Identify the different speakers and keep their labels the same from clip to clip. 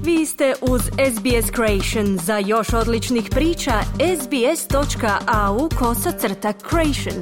Speaker 1: Vi ste uz SBS Creation. Za još odličnih priča, sbs.au/creation.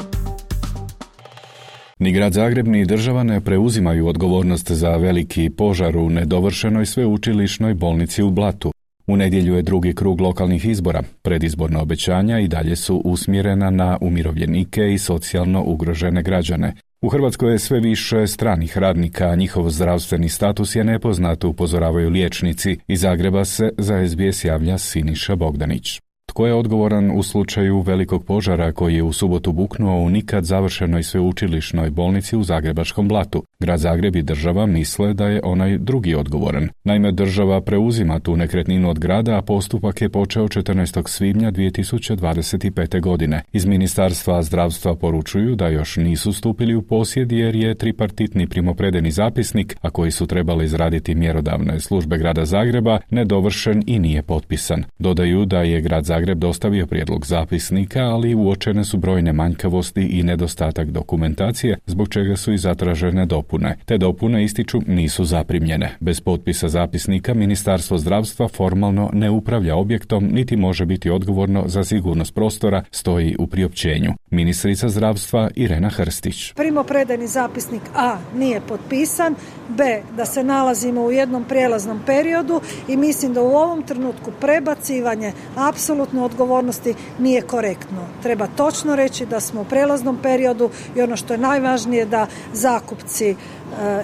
Speaker 2: Ni grad Zagreb ni država ne preuzimaju odgovornost za veliki požar u nedovršenoj sveučilišnoj bolnici u Blatu. U nedjelju je drugi krug lokalnih izbora. Predizborna obećanja i dalje su usmjerena na umirovljenike i socijalno ugrožene građane. U Hrvatskoj je sve više stranih radnika, a njihov zdravstveni status je nepoznat, upozoravaju liječnici. Iz Zagreba se za SBS javlja Siniša Bogdanić. Tko je odgovoran u slučaju velikog požara koji je u subotu buknuo u nikad završenoj sveučilišnoj bolnici u zagrebačkom Blatu? Grad Zagreb i država misle da je onaj drugi odgovoran. Naime, država preuzima tu nekretninu od grada, a postupak je počeo 14. svibnja 2025. godine. Iz Ministarstva zdravstva poručuju da još nisu stupili u posjed jer je tripartitni primopredeni zapisnik, a koji su trebali izraditi mjerodavne službe grada Zagreba, nedovršen i nije potpisan. Dodaju da je grad Zagreb dostavio prijedlog zapisnika, ali uočene su brojne manjkavosti i nedostatak dokumentacije, zbog čega su i zatražene dopune. Te dopune, ističu, nisu zaprimljene. Bez potpisa zapisnika Ministarstvo zdravstva formalno ne upravlja objektom niti može biti odgovorno za sigurnost prostora, stoji u priopćenju. Ministrica zdravstva Irena Hrstić.
Speaker 3: Primopredajni zapisnik A nije potpisan, B da se nalazimo u jednom prijelaznom periodu i mislim da u ovom trenutku prebacivanje apsolutno odgovornosti nije korektno. Treba točno reći da smo u prijelaznom periodu i ono što je najvažnije da zakupci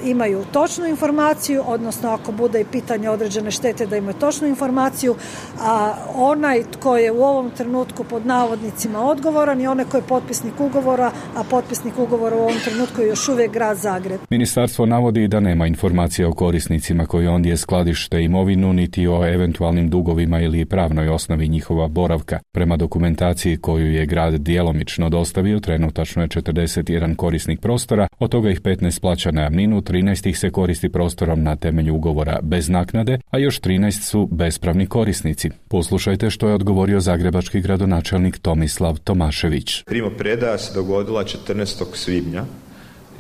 Speaker 3: imaju točnu informaciju, odnosno ako bude i pitanje određene štete da imaju točnu informaciju, a onaj tko je u ovom trenutku pod navodnicima odgovoran i onaj koji je potpisnik ugovora, a potpisnik ugovora u ovom trenutku je još uvijek grad Zagreb.
Speaker 2: Ministarstvo navodi da nema informacija o korisnicima koji ondje skladište imovinu, niti o eventualnim dugovima ili pravnoj osnovi njihova boravka. Prema dokumentaciji koju je grad djelomično dostavio, trenutačno je 41 korisnik prostora, od toga ih 15 plaća najamninu, 13 ih se koristi prostorom na temelju ugovora bez naknade, a još 13 su bespravni korisnici. Poslušajte što je odgovorio zagrebački gradonačelnik Tomislav Tomašević.
Speaker 4: Primopredaja se dogodila 14. svibnja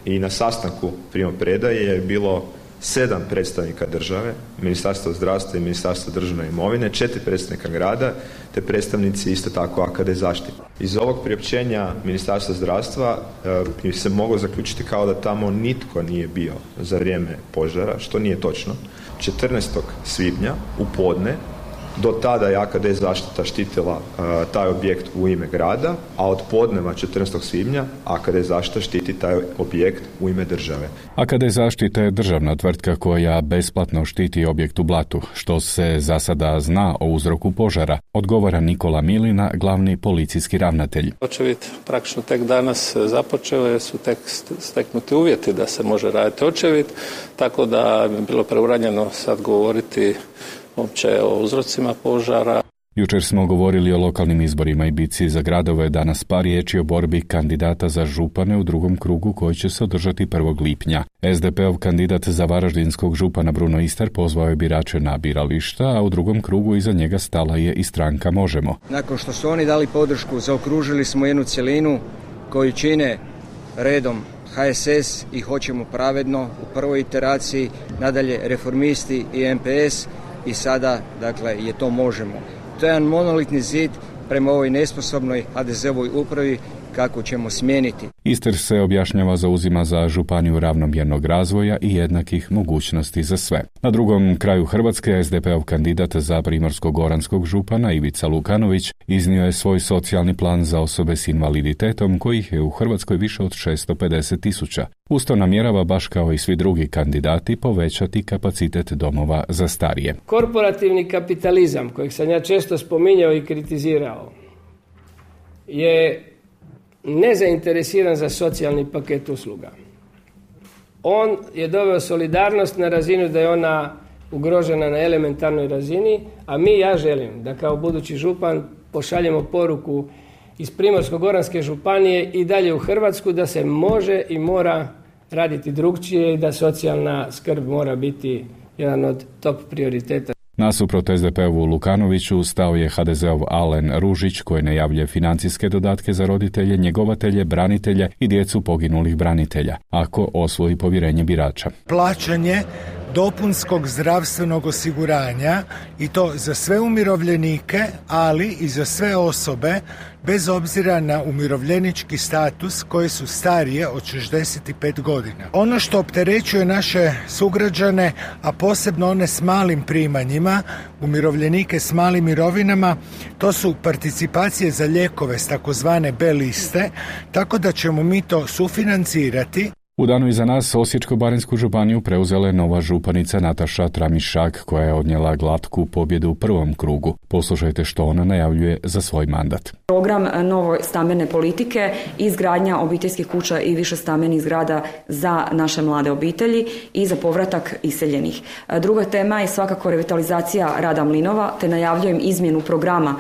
Speaker 4: i na sastanku primopredaje je bilo 7 predstavnika države, Ministarstva zdravstva i Ministarstva državne imovine, 4 predstavnika grada, te predstavnici isto tako AKD zaštite. Iz ovog priopćenja Ministarstva zdravstva bi se moglo zaključiti kao da tamo nitko nije bio za vrijeme požara, što nije točno. 14. svibnja u podne, do tada je AKD zaštita štitila taj objekt u ime grada, a od podneva 14. svibnja AKD zaštita štiti taj objekt u ime države.
Speaker 2: AKD zaštita je državna tvrtka koja besplatno štiti objekt u Blatu. Što se za sada zna o uzroku požara, odgovara Nikola Milina, glavni policijski ravnatelj.
Speaker 5: Očevid praktično tek danas započeo jer su tek steknuti uvjeti da se može raditi očevid, tako da bi bilo preuranjeno sad govoriti uopće o uzrocima požara.
Speaker 2: Jučer smo govorili o lokalnim izborima i bitci za gradove, danas par riječi o borbi kandidata za župane u drugom krugu koji će se održati 1. lipnja. SDP-ov kandidat za varaždinskog župana Bruno Istar pozvao je birače na birališta, a u drugom krugu iza njega stala je i stranka Možemo.
Speaker 6: Nakon što su oni dali podršku, zaokružili smo jednu cjelinu koju čine redom HSS i Hoćemo pravedno u prvoj iteraciji, nadalje Reformisti i MPS i sada, dakle, je to Možemo. To je jedan monolitni zid prema ovoj nesposobnoj HDZ-ovoj upravi kako ćemo smijeniti.
Speaker 2: Istar se objašnjava zauzima za županiju ravnomjernog razvoja i jednakih mogućnosti za sve. Na drugom kraju Hrvatske SDP-ov kandidat za primorsko-goranskog župana Ivica Lukanović iznio je svoj socijalni plan za osobe s invaliditetom kojih je u Hrvatskoj više od 650.000. Usto namjerava, baš kao i svi drugi kandidati, povećati kapacitet domova za starije.
Speaker 7: Korporativni kapitalizam, kojeg sam ja često spominjao i kritizirao, je nezainteresiran za socijalni paket usluga. On je doveo solidarnost na razinu da je ona ugrožena na elementarnoj razini, a ja želim da kao budući župan pošaljemo poruku iz Primorsko-goranske županije i dalje u Hrvatsku da se može i mora raditi drukčije i da socijalna skrb mora biti jedan od top prioriteta.
Speaker 2: Nasuprot SDP-ovu Lukanoviću stao je HDZ-ov Alen Ružić koji najavljuje financijske dodatke za roditelje, njegovatelje, branitelje i djecu poginulih branitelja, ako osvoji povjerenje birača.
Speaker 8: Plaćanje dopunskog zdravstvenog osiguranja i to za sve umirovljenike, ali i za sve osobe bez obzira na umirovljenički status koje su starije od 65 godina. Ono što opterećuje naše sugrađane, a posebno one s malim primanjima, umirovljenike s malim mirovinama, to su participacije za lijekove s takozvane B liste, tako da ćemo mi to sufinancirati.
Speaker 2: U danu iza nas Osječko-baranjsku županiju preuzela je nova županica Nataša Tramišak, koja je odnijela glatku pobjedu u prvom krugu. Poslušajte što ona najavljuje za svoj mandat.
Speaker 9: Program nove stambene politike, izgradnja obiteljskih kuća i višestambenih zgrada za naše mlade obitelji i za povratak iseljenih. Druga tema je svakako revitalizacija rada mlinova, te najavljujem izmjenu programa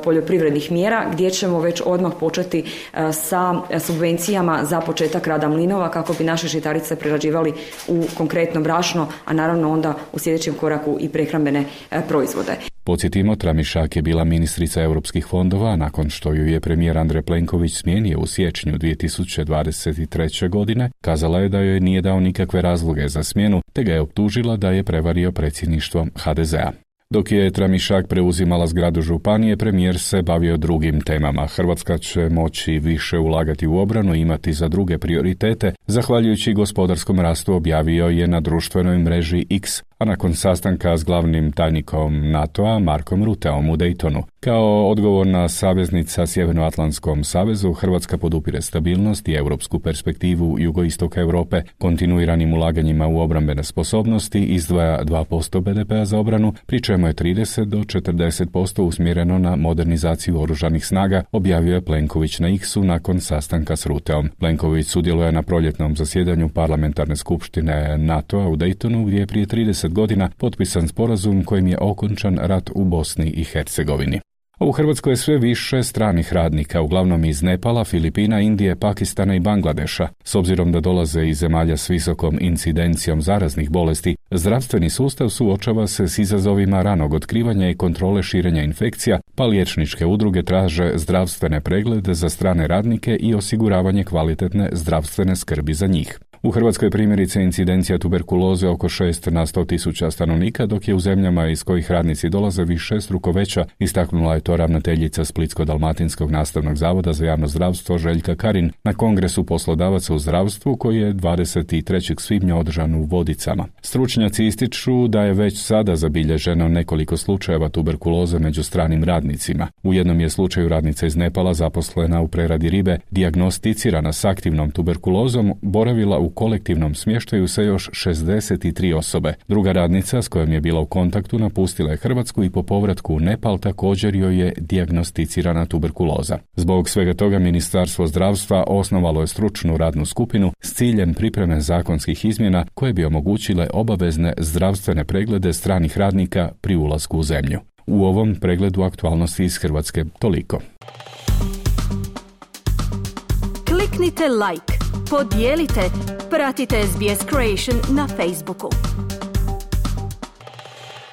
Speaker 9: poljoprivrednih mjera gdje ćemo već odmah početi sa subvencijama za početak rada mlinova kako bi naše žitarice prerađivali u konkretno brašno, a naravno onda u sljedećem koraku i prehrambene proizvode.
Speaker 2: Podsjetimo, Tramišak je bila ministrica europskih fondova nakon što ju je premijer Andrej Plenković smijenio u siječnju 2023. godine. Kazala je da joj nije dao nikakve razloge za smjenu, te ga je optužila da je prevario predsjedništvo HDZ-a. Dok je Tramišak preuzimala zgradu županije, premijer se bavio drugim temama. Hrvatska će moći više ulagati u obranu i imati za druge prioritete, zahvaljujući gospodarskom rastu, objavio je na društvenoj mreži X, a nakon sastanka s glavnim tajnikom NATO-a Markom Ruteom u Daytonu. Kao odgovorna saveznica Sjevernoatlantskom savezu, Hrvatska podupire stabilnost i europsku perspektivu jugoistoka Europe, kontinuiranim ulaganjima u obrambene sposobnosti, izdvaja 2% BDP-a za obranu, pri čemu je 30 do 40% usmjereno na modernizaciju oružanih snaga, objavio je Plenković na X-u nakon sastanka s Ruteom. Plenković sudjeluje na proljetnom zasjedanju parlamentarne skupštine NATO-a u Daytonu, gdje je prije 30 godina potpisan sporazum kojim je okončan rat u Bosni i Hercegovini. U Hrvatskoj je sve više stranih radnika, uglavnom iz Nepala, Filipina, Indije, Pakistana i Bangladeša. S obzirom da dolaze iz zemalja s visokom incidencijom zaraznih bolesti, zdravstveni sustav suočava se s izazovima ranog otkrivanja i kontrole širenja infekcija, pa liječničke udruge traže zdravstvene preglede za strane radnike i osiguravanje kvalitetne zdravstvene skrbi za njih. U Hrvatskoj je primjerice incidencija tuberkuloze oko 6 na 100.000 stanovnika, dok je u zemljama iz kojih radnici dolaze višestruko veća, istaknula je to ravnateljica Splitsko-dalmatinskog nastavnog zavoda za javno zdravstvo Željka Karin na Kongresu poslodavaca u zdravstvu koji je 23. svibnja održan u Vodicama. Stručnjaci ističu da je već sada zabilježeno nekoliko slučajeva tuberkuloze među stranim radnicima. U jednom je slučaju radnica iz Nepala zaposlena u preradi ribe, dijagnosticirana s aktivnom tuberkulozom, boravila u kolektivnom smještaju sa još 63 osobe. Druga radnica s kojom je bila u kontaktu napustila je Hrvatsku i po povratku u Nepal također joj je dijagnosticirana tuberkuloza. Zbog svega toga Ministarstvo zdravstva osnovalo je stručnu radnu skupinu s ciljem pripreme zakonskih izmjena koje bi omogućile obavezne zdravstvene preglede stranih radnika pri ulasku u zemlju. U ovom pregledu aktualnosti iz Hrvatske toliko.
Speaker 1: Kliknite like, podijelite, pratite SBS Creation na Facebooku.